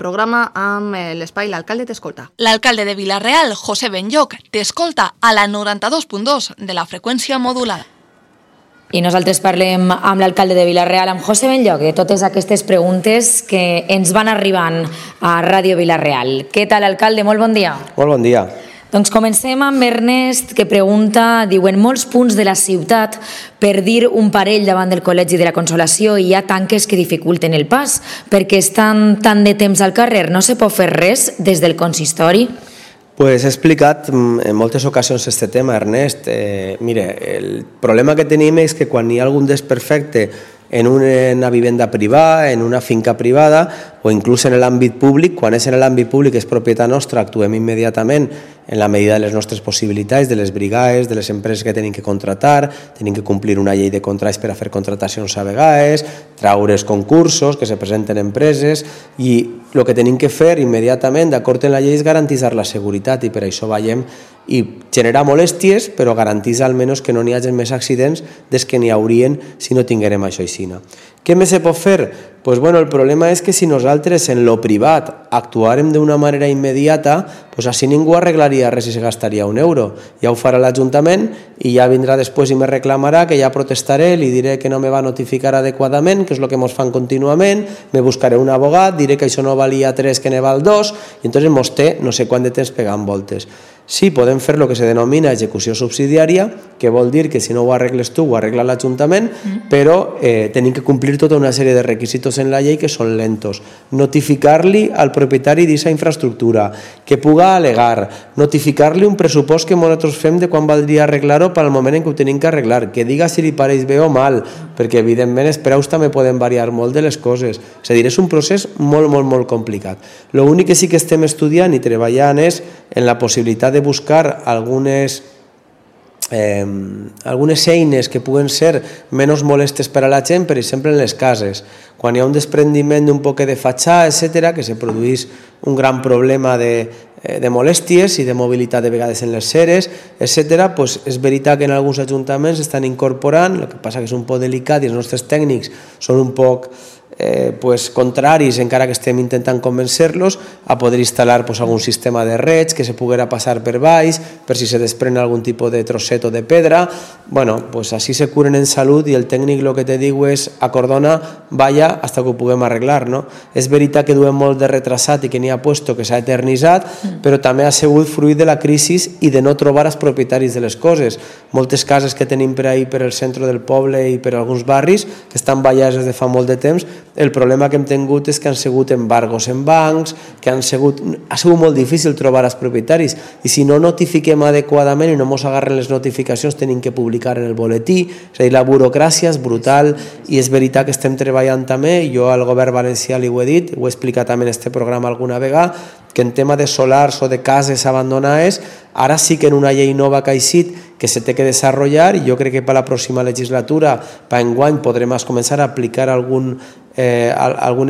programa amb l'espai L'Alcalde t'escolta. L'alcalde de Vila-real, José Benlloc, t'escolta a la 92.2 de la freqüència modulada. I nosaltres parlem amb l'alcalde de Vila-real, amb José Benlloc, de totes aquestes preguntes que ens van arribant a Ràdio Vila-real. Què tal, alcalde? Molt bon dia. Molt bon dia. Doncs comencem amb Ernest, que pregunta, diu, en molts punts de la ciutat, per dir un parell davant del Col·legi de la Consolació, hi ha tanques que dificulten el pas, perquè estan tant de temps al carrer, no se pot fer res des del consistori? Pues he explicat en moltes ocasions este tema, Ernest. Mire, el problema que tenim és que quan hi ha algun desperfecte en una vivenda privada, en una finca privada o inclús en l'àmbit públic, quan és en l'àmbit públic és propietat nostra, actuem immediatament en la medida de les nostres possibilitats, de les brigades, de les empreses que tenim que contratar, tenim que complir una llei de contractes per a fer contratacions a vegades, traure els concursos, que se presenten empreses, i el que tenim que fer immediatament, d'acord amb la llei, és garantir la seguretat, i per això veiem i generar molèsties, però garantir almenys que no n'hi hagi més accidents des que n'hi haurien si no tinguérem això així. Què més se pot fer? Pues bueno, el problema és que si nosaltres en lo privat actuàrem d'una manera immediata, pues així ningú arreglaria res i se gastaria €1. Ja ho farà l'Ajuntament i ja vindrà després i me reclamarà, que ja protestaré, li diré que no me va notificar adequadament, que és el que ens fan contínuament, me buscaré un abogat, diré que això no valia 3, que ne val 2, i entonces mos té no sé quant de temps pegant voltes. Sí, podem fer el que se denomina execució subsidiària, que vol dir que si no ho arregles tu, ho arregla l'Ajuntament, però tenim que complir tota una sèrie de requisitos en la llei que són lentos. Notificar-li al propietari d'aquesta infraestructura, que puga al·legar, notificar-li un pressupost que nosaltres fem de quan valdria arreglar-ho per al moment en què ho tenim que arreglar, que diga si li pareix bé o mal, perquè evidentment els preus també poden variar molt de les coses. És a dir, és un procés molt complicat. L'únic que sí que estem estudiant i treballant és en la possibilitat de buscar algunes eines que puguen ser menys molestes per a la gent, per exemple en les cases. Quan hi ha un desprendiment d'un poc de fatxà, etc., que se produeix un gran problema de molèsties i de mobilitat de vegades en les ceres, etc., doncs és veritat que en alguns ajuntaments estan incorporant, el que passa que és un poc delicat i els nostres tècnics són un poc contraris, encara que estem intentant convencer-los, a poder instal·lar algun sistema de reig que se poguera passar per baix, per si se desprèn algun tipus de trosset o de pedra. Bueno, pues així se curen en salut i el tècnic el que te diu és acordona, vaya, hasta que ho puguem arreglar, no? És veritat que duem molt de retrasat i que n'hi ha puesto que s'ha eternitzat, però també ha sigut fruit de la crisi i de no trobar els propietaris de les coses. Moltes cases que tenim per ahí, per el centre del poble i per alguns barris, que estan ballades des de fa molt de temps, el problema que hem tingut és que han sigut embargos en bancs, que ha sigut molt difícil trobar els propietaris, i si no notifiquem adequadament i no ens agarren les notificacions, tenim que publicar en el boletí. És a dir, la burocràcia és brutal i és veritat que estem treballant també, i jo al govern valencià li ho he dit, ho he explicat també en aquest programa alguna vegada, que en tema de solars o de cases abandonades, ara sí que en una llei nova que ha eixit que se té que desenvolupar, i jo crec que per la pròxima legislatura, per enguany, podrem començar a aplicar algun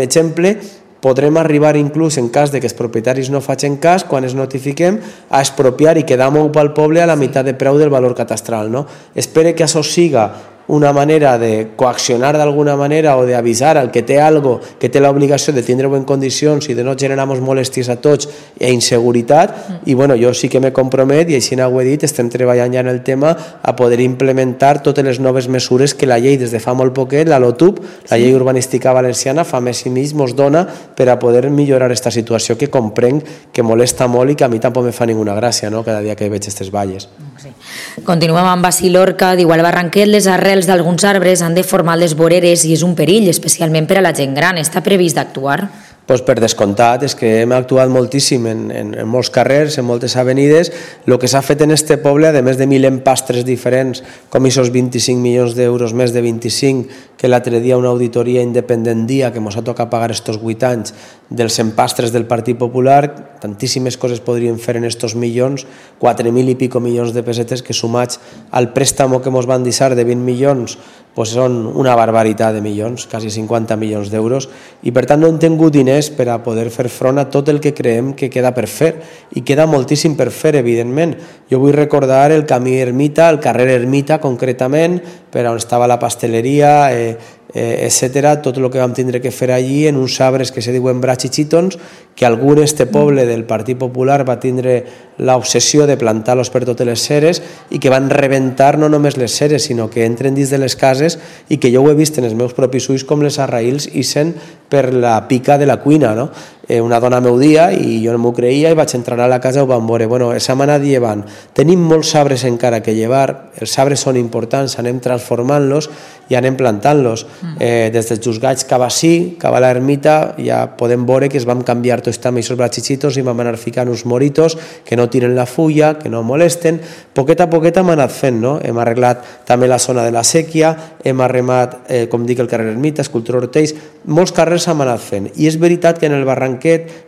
exemple, podrem arribar inclús en cas de que els propietaris no facin cas, quan es notifiquem, a expropiar i quedar molt pel poble a la meitat de preu del valor catastral. Espero que això siga una manera de coaccionar d'alguna manera o d'avisar al que té algo, que té l'obligació de tindre-ho en condicions i de no generar molèsties a tots i inseguretat, i bueno, jo sí que me compromet, i així ho he dit, estem treballant ja en el tema a poder implementar totes les noves mesures que la llei des de fa molt poquet, la LOTUP, la llei urbanística valenciana, fa més i mig ens dona per a poder millorar aquesta situació que comprenc que molesta molt i que a mi tampoc me fa ninguna gràcia, no?, cada dia que veig aquestes valles. Continuem amb Basil Lorca, diu al Barranquet les arrels d'alguns arbres han de formar les voreres i és un perill, especialment per a la gent gran. Està previst d'actuar? Doncs per descomptat, és que hem actuat moltíssim en molts carrers, en moltes avenides. El que s'ha fet en este poble, a més de 1.000 empastres diferents, com aquests 25 milions d'euros, més de 25, que l'altre dia una auditoria independent dia que ens ha tocat pagar estos 8 anys dels empastres del Partit Popular, tantíssimes coses podríem fer en estos milions, 4.000 i pico milions de pessetes que sumats al préstamo que ens van deixar de 20 milions, doncs són una barbaritat de milions, quasi 50 milions d'euros, i per tant no hem tingut diners per a poder fer front a tot el que creiem que queda per fer, i queda moltíssim per fer, evidentment. Jo vull recordar el camí Ermita, el carrer Ermita concretament, per on estava la pasteleria, etc. Tot el que vam tindre que fer allí en uns arbres que se diuen brachitxítons, que algú en este poble del Partit Popular va tindre l'obsessió de plantar-los per totes les ceres i que van rebentar no només les ceres, sinó que entren dins de les cases i que jo ho he vist en els meus propis ulls com les arraïls ixen per la pica de la cuina, no? Una dona m'ho dia i jo no m'ho creia i vaig entrar a la casa i ho vam veure. Bueno, s'han anat llevant. Tenim molts arbres encara que llevar, els arbres són importants, anem transformant-los i anem plantant-los. Des dels Jusgats cap ací, cap a l'ermita, ja podem veure que es vam canviar tots també aquests brachichitos i vam anar ficant uns moritos que no tiren la fulla, que no molesten. Poquet a poquet hem anat fent, no? Hem arreglat també la zona de la sèquia, hem arremat, com dic, el carrer Ermita, Escultura Ortells, molts carrers hem anat fent. I és veritat que en el Barranquet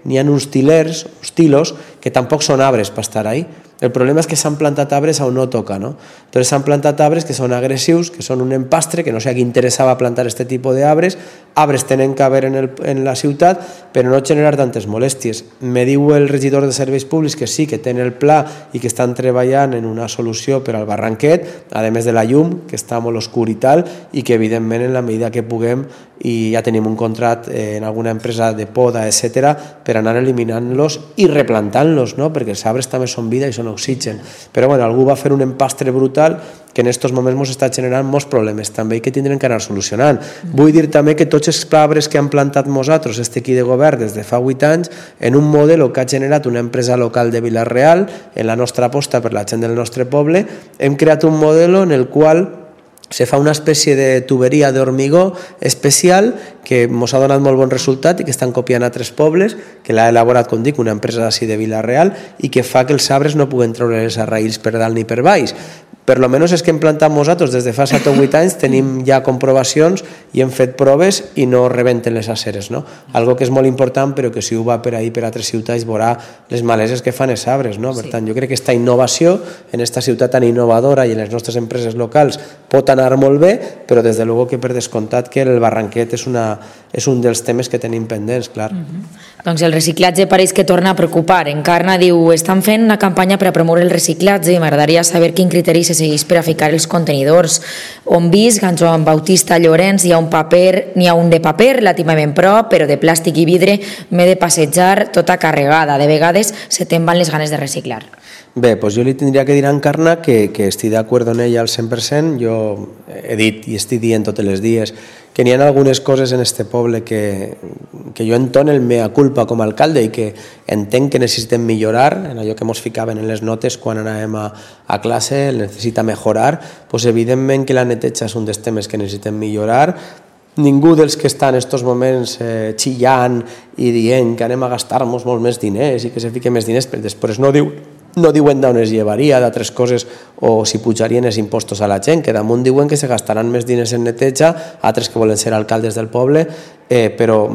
n'hi ha uns tilers, uns tilos, que tampoc són arbres per estar ahí. El problema és que s'han plantat arbres on no toca, no? Entonces s'han plantat arbres que són agressius, que són un empastre, que no sé a qui interessava plantar aquest tipus d'arbres. Arbres tenen que haver en la ciutat, però no generar tantes molèsties. Me diu el regidor de Serveis Públics que sí, que tenen el pla i que estan treballant en una solució per al Barranquet, a més de la llum, que està molt oscur i tal, i que evidentment en la medida que puguem, i ja tenim un contracte en alguna empresa de poda, etc., per anar eliminant-los i replantant-los, no? Perquè els arbres també són vida i són oxigen. Però bueno, algú va fer un empastre brutal que en aquests moments ens està generant molts problemes també i que tindrem que anar solucionant. Vull dir també que tots els arbres que han plantat nosaltres, aquí de govern des de fa 8 anys, en un model que ha generat una empresa local de Vila-real, en la nostra aposta per la gent del nostre poble, hem creat un model en el qual se fa una espècie de tuberia d'hormigó especial que ens ha donat molt bon resultat i que estan copiant a 3 pobles, que l'ha elaborat, com dic, una empresa d'ací de Vila-real i que fa que els arbres no puguen treure les arraïls per dalt ni per baix. Per lo menos és que hem plantat nosaltres des de fa 7 o 8 anys, tenim ja comprovacions i hem fet proves i no rebenten les aceres, no? Algo que és molt important, però que si ho va per ahí per altres ciutats veurà les maleses que fan els arbres, no? Per tant, jo crec que aquesta innovació en aquesta ciutat tan innovadora i en les nostres empreses locals pot anar molt bé, però des de luego que per descomptat que el Barranquet és un dels temes que tenim pendents, clar. Doncs el reciclatge pareix que torna a preocupar. Encarna diu, estan fent una campanya per a promoure el reciclatge i m'agradaria saber quin criteri se segueix per a ficar els contenidors. On visc, en Joan Bautista Llorenç, n'hi ha un de paper relativament prop, però de plàstic i vidre m'he de passejar tota carregada. De vegades se te'n van les ganes de reciclar. Bé, doncs jo li tindria que dir a Encarna que estic d'acord amb ella al 100%. Jo he dit i estic dient tots els dies que n'hi ha algunes coses en este poble que jo entono el mea culpa com a alcalde i que entenc que necessitem millorar, en allò que ens ficaven en les notes quan anàvem a classe, necessita mejorar, doncs evidentment que la neteja és un dels temes que necessitem millorar. Ningú dels que està en aquests moments xillant i dient que anem a gastar-nos molt més diners i que se fiquen més diners, però després no diuen d'on es llevaria, d'altres coses, o si pujarien els impostos a la gent, que damunt diuen que se gastaran més diners en neteja, altres que volen ser alcaldes del poble, però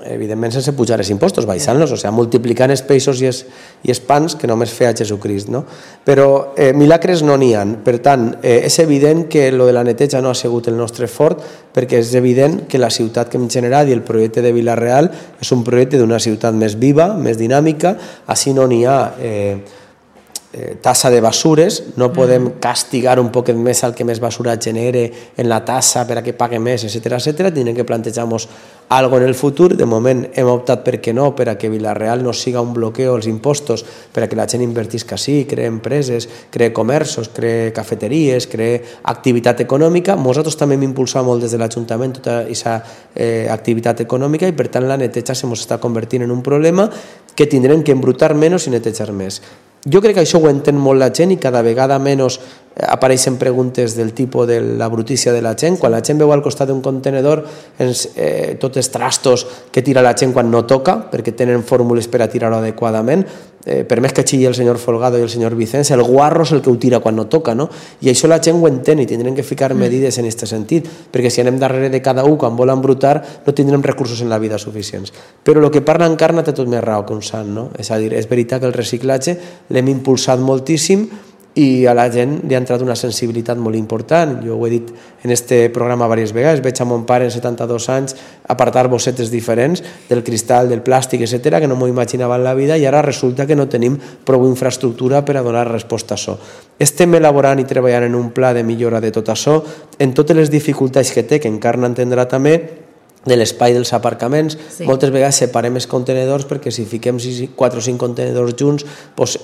evidentment sense pujar els impostos, baixant-los, o sigui, multiplicant els peixos i els pans que només feia Jesucrist, no? Però milagres no n'hi ha. Per tant, és evident que lo de la neteja no ha sigut el nostre fort, perquè és evident que la ciutat que hem generat i el projecte de Vila-real és un projecte d'una ciutat més viva, més dinàmica, així no n'hi ha tassa de basures, no podem castigar un poquet més al que més basura genere en la tassa per a que pague més, etc. Tindrem que plantejar-nos alguna cosa en el futur. De moment hem optat per què no, per a que Vila-real no siga un bloqueo als impostos, per a que la gent invertisca així, cree empreses, cree comerços, cree cafeteries, cree activitat econòmica. Nosaltres també hem impulsat molt des de l'Ajuntament tota aquesta activitat econòmica i per tant la neteja se ens està convertint en un problema que tindrem que embrutar menys i netejar més. Jo crec que això ho entén molt la gent i cada vegada menys apareixen preguntes del tipus de la brutícia de la gent. Quan la gent veu al costat d'un contenedor tots els trastos que tira la gent quan no toca, perquè tenen fórmules per a tirar-ho adequadament, per més que xilli el senyor Folgado i el senyor Vicens, el guarro és el que ho tira quan no toca, no? I això la gent ho entén i tindrem que ficar medides en aquest sentit, perquè si anem darrere de cada un quan vol embrutar no tindrem recursos en la vida suficients. Però el que parla Encarna té tot més raó que un sant, no? És a dir, és veritat que el reciclatge l'hem impulsat moltíssim i a la gent li ha entrat una sensibilitat molt important. Jo ho he dit en este programa diverses vegades, veig a mon pare en 72 anys apartar bossetes diferents del cristal, del plàstic, etc., que no m'ho imaginava en la vida, i ara resulta que no tenim prou infraestructura per a donar resposta a això. Estem elaborant i treballant en un pla de millora de tot això, en totes les dificultats que té, que encara no entendrà també, de l'espai dels aparcaments. Moltes vegades separem els contenedors perquè si fiquem 4 o 5 contenedors junts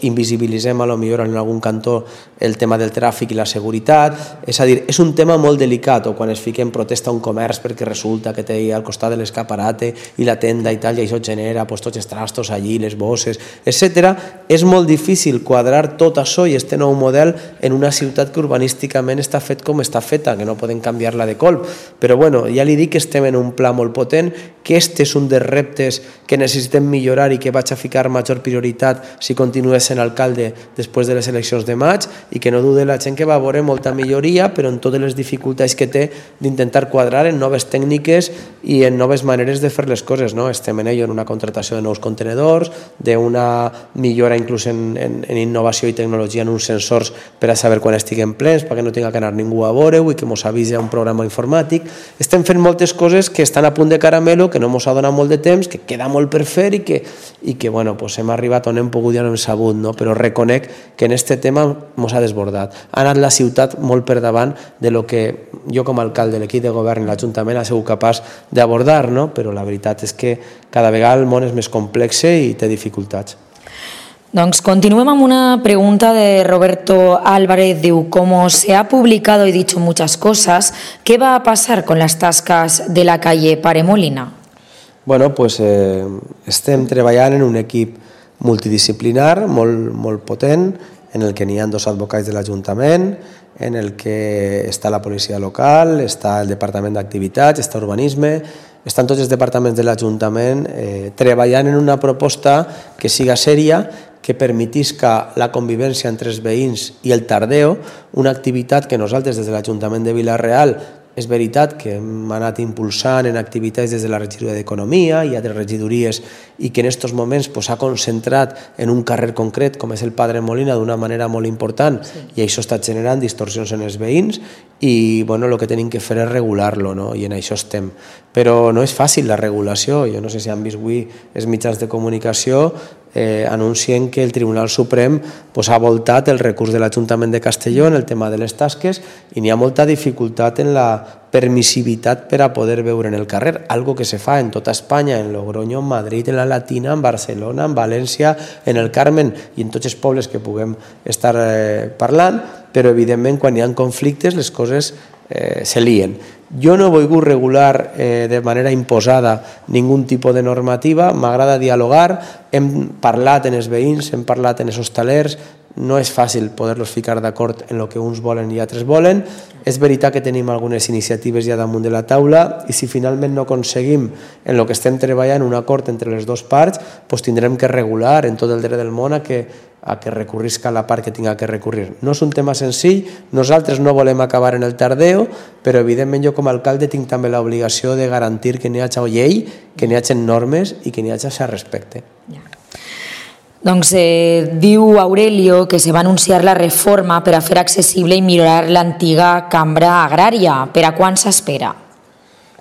invisibilitzem a lo millor en algun cantó el tema del tràfic i la seguretat. És a dir, és un tema molt delicat, o quan es fiquem protesta a un comerç perquè resulta que té al costat de l'escaparate i la tenda i tal, i això genera tots els trastos allí, les bosses, etc. És molt difícil quadrar tot això i este nou model en una ciutat que urbanísticament està fet com està feta, que no podem canviar-la de colp. Però bueno, ja li dic que estem en un pla molt potent, que este és un dels reptes que necessitem millorar i que vaig a ficar major prioritat si continues sent alcalde després de les eleccions de maig, i que no dude la gent que va veure molta milloria, però en totes les dificultats que té d'intentar quadrar en noves tècniques i en noves maneres de fer les coses. Estem en ello, en una contratació de nous contenedors, d'una millora inclús en innovació i tecnologia en uns sensors per a saber quan estiguem plens, perquè no tinga que anar ningú a veure-ho i que mos avisi a un programa informàtic. Estem fent moltes coses que estan a punt de caramelo, que no ens ha donat molt de temps, que queda molt per fer i que bueno, hem arribat on hem pogut i on hem sabut, però reconec que en aquest tema ens ha desbordat. Ha anat la ciutat molt per davant de lo que jo com a alcalde, l'equip de govern i l'Ajuntament ha sigut capaç d'abordar, però la veritat és que cada vegada el món és més complex i té dificultats. Doncs continuem amb una pregunta de Roberto Álvarez. Diu, como se ha publicado y dicho muchas cosas, ¿qué va a pasar con las tascas de la calle Pare Molina? Bueno, pues estem treballant en un equip multidisciplinar molt potent, en el que n'hi ha 2 advocats de l'Ajuntament, en el que està la policia local, està el Departament d'Activitats, està Urbanisme, estan tots els departaments de l'Ajuntament treballant en una proposta que siga sèria, que permetisca la convivència entre els veïns i el Tardeo, una activitat que nosaltres des de l'Ajuntament de Vila-real és veritat que hem anat impulsant en activitats des de la regidoria d'Economia i altres regidories, i que en aquests moments s'ha concentrat en un carrer concret com és el Padre Molina d'una manera molt important, i això està generant distorsions en els veïns, i el que tenim que fer és regular-lo, i en això estem. Però no és fàcil la regulació. Jo no sé si han vist avui els mitjans de comunicació anuncien que el Tribunal Suprem ha voltat el recurs de l'Ajuntament de Castelló en el tema de les tasques, i n'hi ha molta dificultat en la permissivitat per a poder veure en el carrer, algo que se fa en tota Espanya, en Logroño, en Madrid, en la Latina, en Barcelona, en València, en el Carmen i en tots els pobles que puguem estar parlant, però evidentment quan hi ha conflictes les coses se lien. Jo no he volgut regular de manera imposada ningun tipus de normativa, m'agrada dialogar, hem parlat en els veïns, hem parlat en els hostalers, no és fàcil poder-los ficar d'acord en el que uns volen i altres volen. És veritat que tenim algunes iniciatives ja damunt de la taula, i si finalment no aconseguim en el que estem treballant un acord entre les dues parts, tindrem que regular en tot el dret del món a que recurrisca la part que tinga que recurrir. No és un tema senzill, nosaltres no volem acabar en el Tardeo, però evidentment jo com a alcalde tinc també l'obligació de garantir que n'hi hagi llei, que n'hi hagi normes i que n'hi hagi respecte. Doncs diu Aurelio que se va anunciar la reforma per a fer accessible i millorar l'antiga cambra agrària. Per a quan s'espera?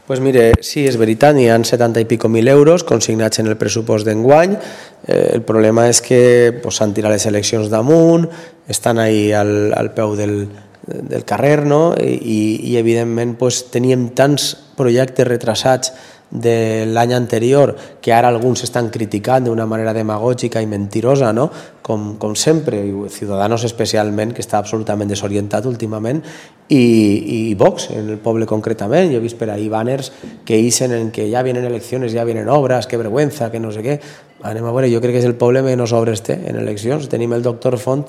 Doncs mire, sí, és veritat, n'hi ha 70 i pico mil euros consignats en el pressupost d'enguany. El problema és que s'han tirat les eleccions damunt, estan ahí al peu del carrer, i evidentment teníem tants projectes retrasats de l'any anterior que ara alguns estan criticant d'una manera demagògica i mentirosa, com sempre, i Ciudadanos especialment, que està absolutament desorientat últimament, i Vox, en el poble concretament. Jo he vist per ahí banners que ixen en que ja vienen eleccions, ja vienen obres, que vergüenza, que no sé què. Anem a veure, jo crec que és el poble menys obres té en eleccions. Tenim el doctor Font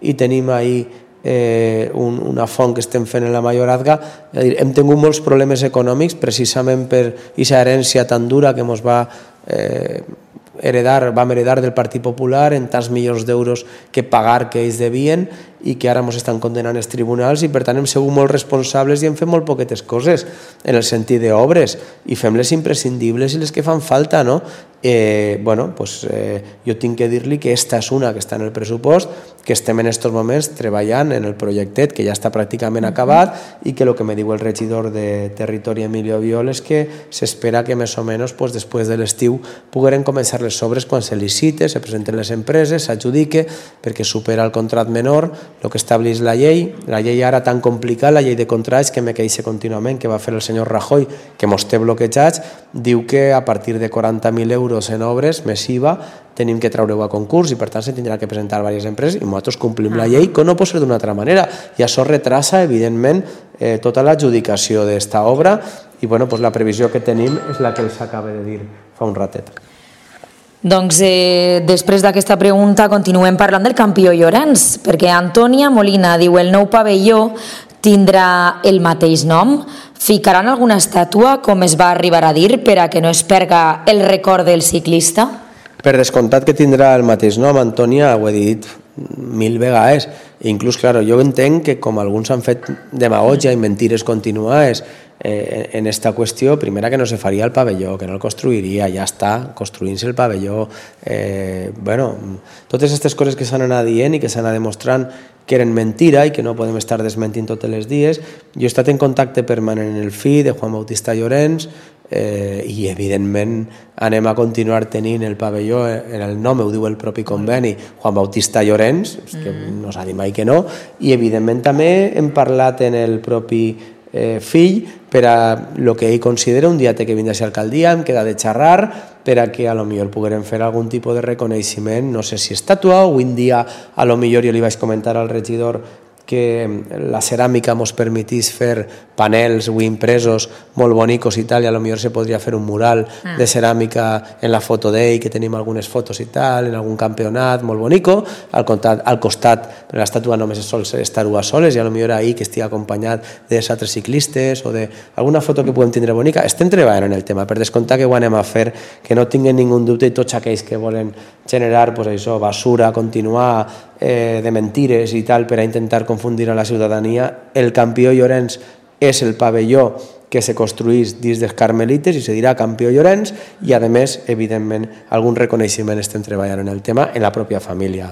i tenim ahí una font que estem fent en la Mayorazga. Hem tingut molts problemes econòmics precisament per aquesta herència tan dura que ens vam heredar del Partit Popular, en tants milions d'euros que pagar que ells devien i que ara ens estan condenant els tribunals, i per tant hem sigut molt responsables i hem fet molt poquetes coses en el sentit d'obres, i fem les imprescindibles i les que fan falta, jo tinc que dir-li que esta és una que està en el pressupost, que estem en aquests moments treballant en el projectet que ja està pràcticament acabat i que el que me diu el regidor de Territori Emilio Viol és que s'espera que més o menys després de l'estiu pogueren començar les obres quan se licite, se presenten les empreses, s'adjudique perquè supera el contrat menor, el que estableix la llei ara tan complicada, la llei de contrats que me queixa contínuament, que va fer el senyor Rajoy, que mos té bloquejats, diu que a partir de 40.000 euros en obres més IVA tenim que treure-ho a concurs i per tant se tindrà que presentar diverses empreses i nosaltres complim la llei, que no pot ser d'una altra manera, i això retrasa evidentment tota l'adjudicació d'esta obra i la previsió que tenim és la que els acaba de dir fa un ratet. Doncs després d'aquesta pregunta continuem parlant del campió Llorenç, perquè Antònia Molina diu el nou pavelló tindrà el mateix nom, ficaran alguna estàtua com es va arribar a dir per a que no es perga el record del ciclista? Per descomptat que tindrà el mateix nom, Antònia, ho he dit 1000 vegades. Inclús, clar, jo entenc que com alguns han fet demagogia i mentires continuades en esta qüestió, primera que no se faria el pavelló, que no el construiria, ja està, construint-se el pavelló. Totes aquestes coses que s'han anat dient i que s'han anat demostrant que eren mentira i que no podem estar desmentint tots els dies. Jo he estat en contacte permanent en el fill de Juan Bautista Llorenç i evidentment anem a continuar tenint el pavelló, en el nom ho diu el propi conveni, Juan Bautista Llorenç, que no s'ha dit mai que no, i evidentment també hem parlat en el propi fill per a el que ell considera un dia té que vindre a ser alcaldia, hem quedat de xerrar per a que a lo millor poguérem fer algun tipus de reconeixement, no sé si estàtua o un dia a lo millor jo li vaig comentar al regidor que la ceràmica mos permetís fer panels o impresos molt bonicos i tal, i a lo millor se podria fer un mural de ceràmica en la foto d'ell, que tenim algunes fotos i tal, en algun campionat molt bonico, al costat, però l'estàtua només sol estar a soles, i a lo millor ahir que estigui acompanyat d'altres ciclistes o d'alguna foto que puguem tindre bonica. Estem treballant en el tema, per descomptar que ho anem a fer, que no tinguen ningú dubte, i tots aquells que volen generar basura, continuar de mentires i tal per a intentar confundir a la ciutadania. El campió Llorenç és el pavelló que se construís dins dels Carmelites i se dirà campió Llorenç i a més, evidentment, algun reconeixement estem treballant en el tema en la pròpia família.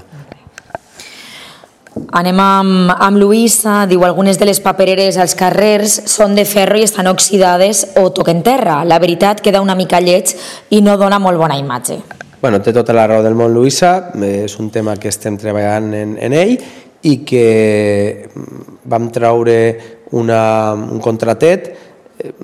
Anem amb Luisa, diu algunes de les papereres als carrers són de ferro i estan oxidades o toquen terra. La veritat queda una mica lleig i no dona molt bona imatge. Té tota la raó del món, Luisa, és un tema que estem treballant en ell i que vam treure un contratet,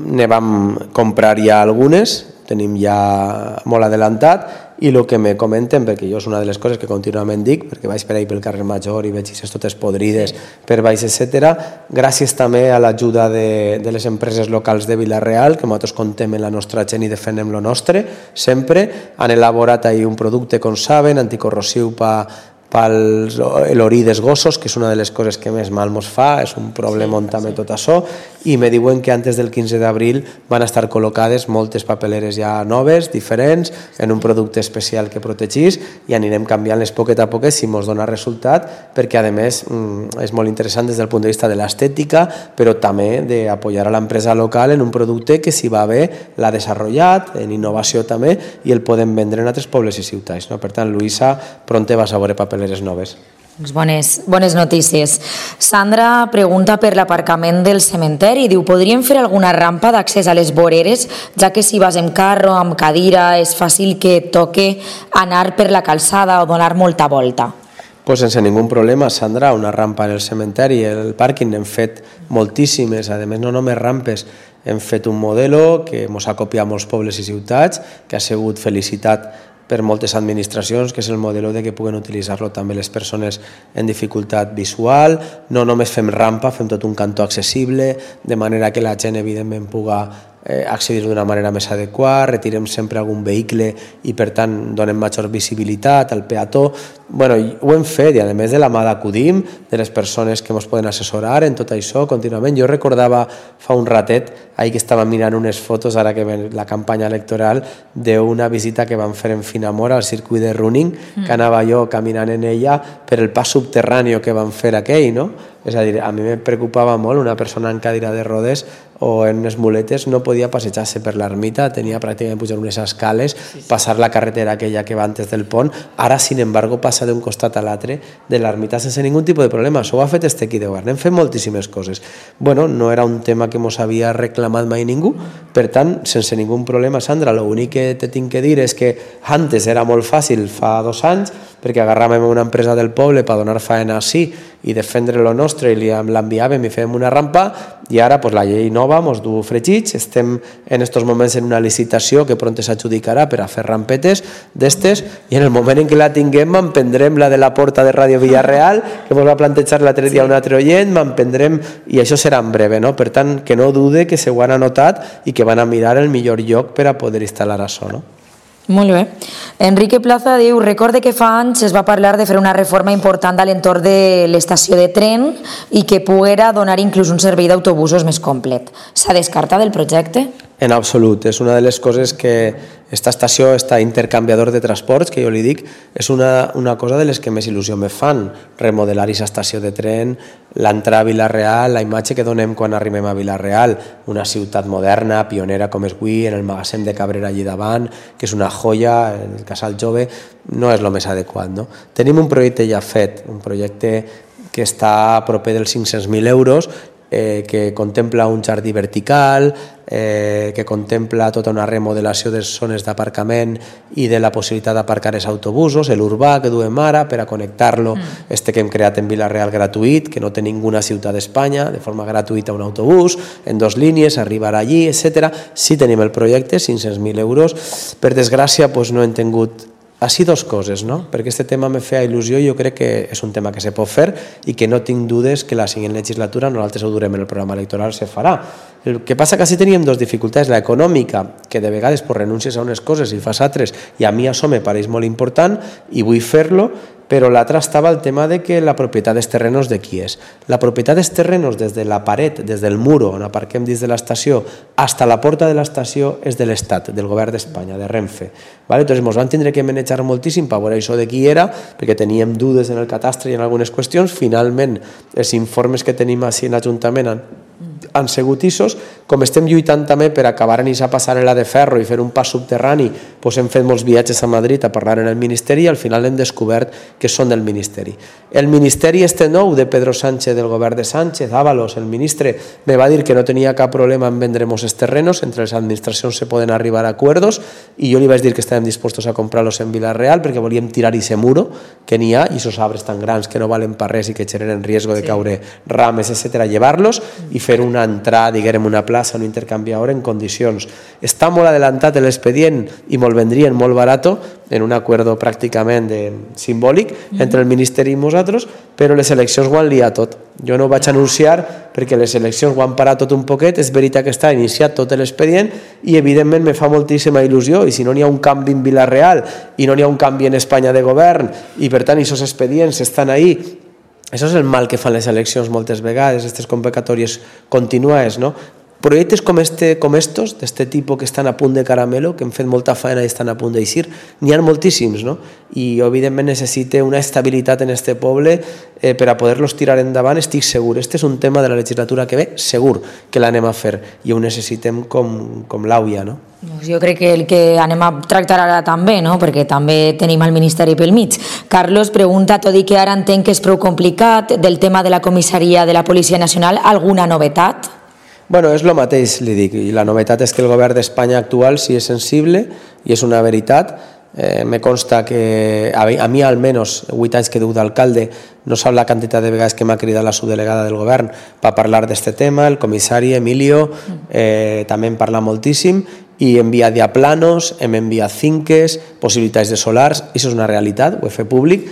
ne vam comprar ja algunes, tenim ja molt adelantat, i el que me comenten, perquè jo és una de les coses que contínuament dic, perquè vaig per ahí pel carrer Major i veig aquestes totes podrides per baix, etc. Gràcies també a l'ajuda de les empreses locals de Vila-real, que nosaltres contem en la nostra gent i defenem lo nostre, sempre. Han elaborat ahí un producte, com saben, anticorrosiu pel l'orí dels gossos, que és una de les coses que més mal mos fa, és un problema també tot això, i me diuen que antes del 15 d'abril van estar col·locades moltes papeleres ja noves, diferents, en un producte especial que protegís, i anirem canviant-les poquet a poquet si mos dona resultat, perquè a més és molt interessant des del punt de vista de l'estètica, però també d'apoyar a l'empresa local en un producte que si va bé l'ha desenvolupat, en innovació també, i el podem vendre en altres pobles i ciutats. Per tant, Luisa, pronte vas a veure papeleres noves. Bones notícies. Sandra pregunta per l'aparcament del cementeri i diu, podríem fer alguna rampa d'accés a les voreres, ja que si vas amb carro, amb cadira, és fàcil que toque anar per la calçada o donar molta volta. Pues sense ningú problema, Sandra, una rampa en el cementeri, el pàrquing, n'hem fet moltíssimes, a més no només rampes, hem fet un modelo que ens ha copiat molts pobles i ciutats, que ha sigut felicitat per moltes administracions, que és el model de que puguen utilitzar-lo també les persones en dificultat visual. No només fem rampa, fem tot un cantó accessible, de manera que la gent evidentment puga accedir d'una manera més adequada, retirem sempre algun vehicle i per tant donem major visibilitat al peató. Ho hem fet i a més de la mà d'Acudim, de les persones que ens poden assessorar en tot això contínuament. Jo recordava fa un ratet, ahir que estava mirant unes fotos, ara que ve la campanya electoral, d'una visita que vam fer en Finamora al circuit de running, que anava jo caminant en ella per el pas subterrani que vam fer aquell, no? És a dir, a mi me preocupava molt una persona en cadira de rodes o en unes muletes no podia passejar-se per l'ermita, tenia pràcticament pujar unes escales, passar la carretera aquella que va antes del pont. Ara, sin embargo, passa d'un costat a l'altre de l'ermita sense ningú tipus de problema. Això ho ha fet este equip de govern. Hem fet moltíssimes coses. Bueno, no era un tema que mos havia reclamat mai ningú, per tant, sense ningú problema, Sandra. L'únic que te tinc que dir és que antes era molt fàcil, fa 2 anys, perquè agarràvem una empresa del poble per donar faena així i defendre lo nostre i l'enviàvem i fèiem una rampa, i ara pues, la llei nova mos du fregits. Estem en estos moments en una licitació que pront s'adjudicarà per a fer rampetes d'estes, i en el moment en què la tinguem m'emprendrem la de la porta de Ràdio Villarreal, que mos va plantejar l'altre dia un altre oient, m'emprendrem, i això serà en breve, no? Per tant, que no dude que se ho han anotat i que van a mirar el millor lloc per a poder instal·lar això, no? Molt bé. Enrique Plaza diu, recorde que fa anys es va parlar de fer una reforma important a l'entorn de l'estació de tren i que poguera donar inclús un servei d'autobusos més complet. S'ha descartat el projecte? En absolut. És una de les coses que esta estació, este intercanviador de transports, que jo li dic, és una cosa de les que més il·lusió me fan. Remodelar aquesta estació de tren, l'entrada a Vila-real, la imatge que donem quan arribem a Vila-real, una ciutat moderna, pionera com és avui, en el magatzem de Cabrera allí davant, que és una joia, en el Casal Jove, no és el més adequat, no? Tenim un projecte ja fet, un projecte que està proper dels 500.000 euros, que contempla un jardí vertical, que contempla tota una remodelació de zones d'aparcament i de la possibilitat d'aparcar els autobusos, l'urbà que duem ara per a connectar-lo, que hem creat en Vila-real gratuït, que no té ninguna ciutat d'Espanya, de forma gratuïta un autobús, en 2 línies, arribar allí, etc. Sí tenim el projecte, 500.000 euros. Per desgràcia, no hem tingut així 2 coses, no? Perquè aquest tema me feia il·lusió i jo crec que és un tema que se pot fer i que no tinc dudes que la següent legislatura, nosaltres ho durem en el programa electoral, se farà. El que passa que sí teníem 2 dificultats, la econòmica, que de vegades renuncies a unes coses i fas altres, i a mi això me pareix molt important i vull fer-lo, però l'altra estava el tema de que la propietat dels terrenos de qui és. La propietat dels terrenos des de la paret, des del muro on aparquem dins de l'estació, fins a la porta de l'estació és de l'Estat, del govern d'Espanya, de Renfe. Entonces ens van tindre que manejar moltíssim per veure això de qui era, perquè teníem dudes en el catastre i en algunes qüestions. Finalment, els informes que tenim així en l'Ajuntament han sigut issos. Com estem lluitant també per acabar en aquesta passarel·la de ferro i fer un pas subterrani, hem fet molts viatges a Madrid a parlar en el Ministeri i al final hem descobert que són del Ministeri. El Ministeri nou de Pedro Sánchez, del govern de Sánchez, Ábalos, el ministre, me va dir que no tenia cap problema en vendremos els terrenos, entre les administracions se poden arribar a acuerdos, i jo li vaig dir que estàvem dispostos a comprar-los en Vila-real perquè volíem tirar ese muro que n'hi ha, i esos arbres tan grans que no valen per res i que generen riesgo de caure rames, etc., llevar-los i fer una entrada, diguem, una plaça, un intercanviador en condicions. Està molt adelantat l'expedient i me'l vendrien molt barato, en un acuerdo pràcticament simbòlic entre el Ministeri i nosaltres, però les eleccions ho han liat tot. Jo no ho vaig anunciar perquè les eleccions ho han parat tot un poquet. És veritat que està iniciat tot l'expedient i evidentment me fa moltíssima il·lusió, i si no n'hi ha un canvi en Vila-real i no n'hi ha un canvi en Espanya de govern i per tant aquests expedients estan ahí. Això és el mal que fan les eleccions moltes vegades, aquestes convocatòries contínues, no? Projectes com estos, d'este tipus que estan a punt de caramelo, que hem fet molta feina i estan a punt d'eixir, n'hi ha moltíssims, no? I evidentment necessita una estabilitat en este poble per a poder-los tirar endavant, estic segur. Este és un tema de la legislatura que ve, segur que l'anem a fer, i ho necessitem com l'auia, no? Jo crec que el que anem a tractar ara també, no? Perquè també tenim el Ministeri pel mig. Carlos pregunta, tot i que ara entenc que és prou complicat, del tema de la comissaria de la Policia Nacional, alguna novetat? Bueno, és el mateix, li dic, i la novetat és que el govern d'Espanya actual sí és sensible i és una veritat. Me consta que a mi almenys 8 anys que duc d'alcalde no sap la quantitat de vegades que m'ha cridat la subdelegada del govern per parlar d'este tema, el comissari Emilio també en parla moltíssim, i hem enviat ja planos, hem enviat finques, possibilitats de solars, i això és una realitat, ho he fet públic.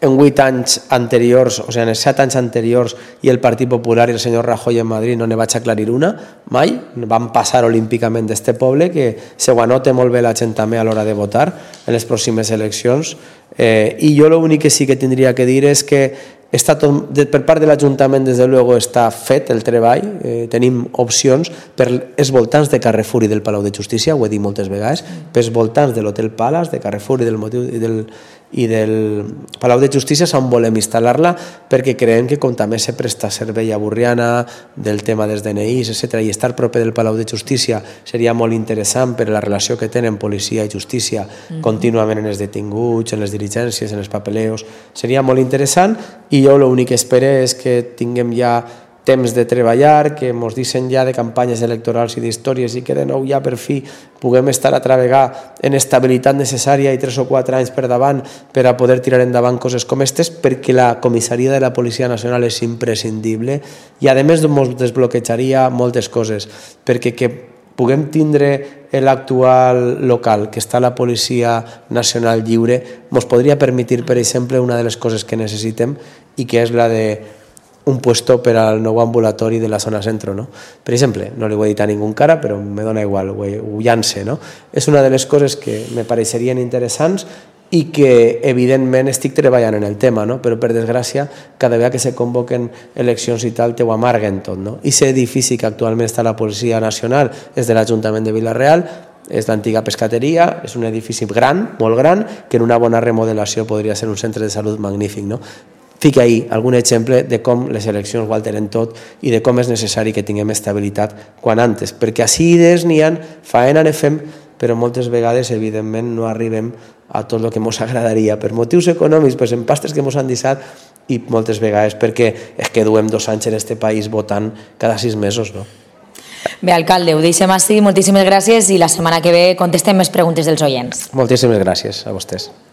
En 8 anys anteriors, o sigui, en els 7 anys anteriors, i el Partit Popular i el senyor Rajoy en Madrid no ne vaig aclarir una, mai. Van passar olímpicament d'este poble, que se ho anota molt bé la gent també a l'hora de votar en les pròximes eleccions. I jo l'únic que sí que tindria que dir és que per part de l'Ajuntament, des de luego, està fet el treball, tenim opcions per els voltants de Carrefour i del Palau de Justícia, ho he dit moltes vegades, pels voltants de l'Hotel Palace, de Carrefour i del Palau de Justícia, on volem instal·lar-la, perquè creiem que com també se presta servei a Borriana, del tema dels DNIs, etc., i estar proper del Palau de Justícia seria molt interessant per la relació que tenen policia i justícia contínuament en els detinguts, en les diligències, en els papeleos, seria molt interessant, i jo l'únic que espero és que tinguem ja temps de treballar, que ens deixen ja de campanyes electorals i d'històries i que de nou ja per fi puguem estar a treballar en estabilitat necessària i 3 o 4 anys per davant per a poder tirar endavant coses com aquestes, perquè la comissaria de la Policia Nacional és imprescindible i a més ens desbloquejaria moltes coses, perquè que puguem tindre l'actual local que està la Policia Nacional lliure ens podria permetre, per exemple, una de les coses que necessitem i que és la de un puesto per al nou ambulatori de la zona centro, no? Per exemple, no li ho he dit a ningú encara, però me dona igual, ho llance, no? És una de les coses que me pareixerien interessants i que, evidentment, estic treballant en el tema, no? Però, per desgràcia, cada vegada que se convoquen eleccions i tal, te ho amarguen tot, no? I aquest edifici que actualment està a la Policia Nacional és de l'Ajuntament de Vila-real, és l'antiga pescateria, és un edifici gran, molt gran, que en una bona remodelació podria ser un centre de salut magnífic, no? Fica ahí algun exemple de com les eleccions ho alteren tot i de com és necessari que tinguem estabilitat quan antes, perquè així idees n'hi ha, faena ne fem, però moltes vegades, evidentment, no arribem a tot el que ens agradaria, per motius econòmics, per empastes que ens han deixat i moltes vegades perquè és que duem 2 anys en este país votant cada 6 mesos, no? Bé, alcalde, ho deixem així, moltíssimes gràcies i la setmana que ve contestem més preguntes dels oients. Moltíssimes gràcies a vostès.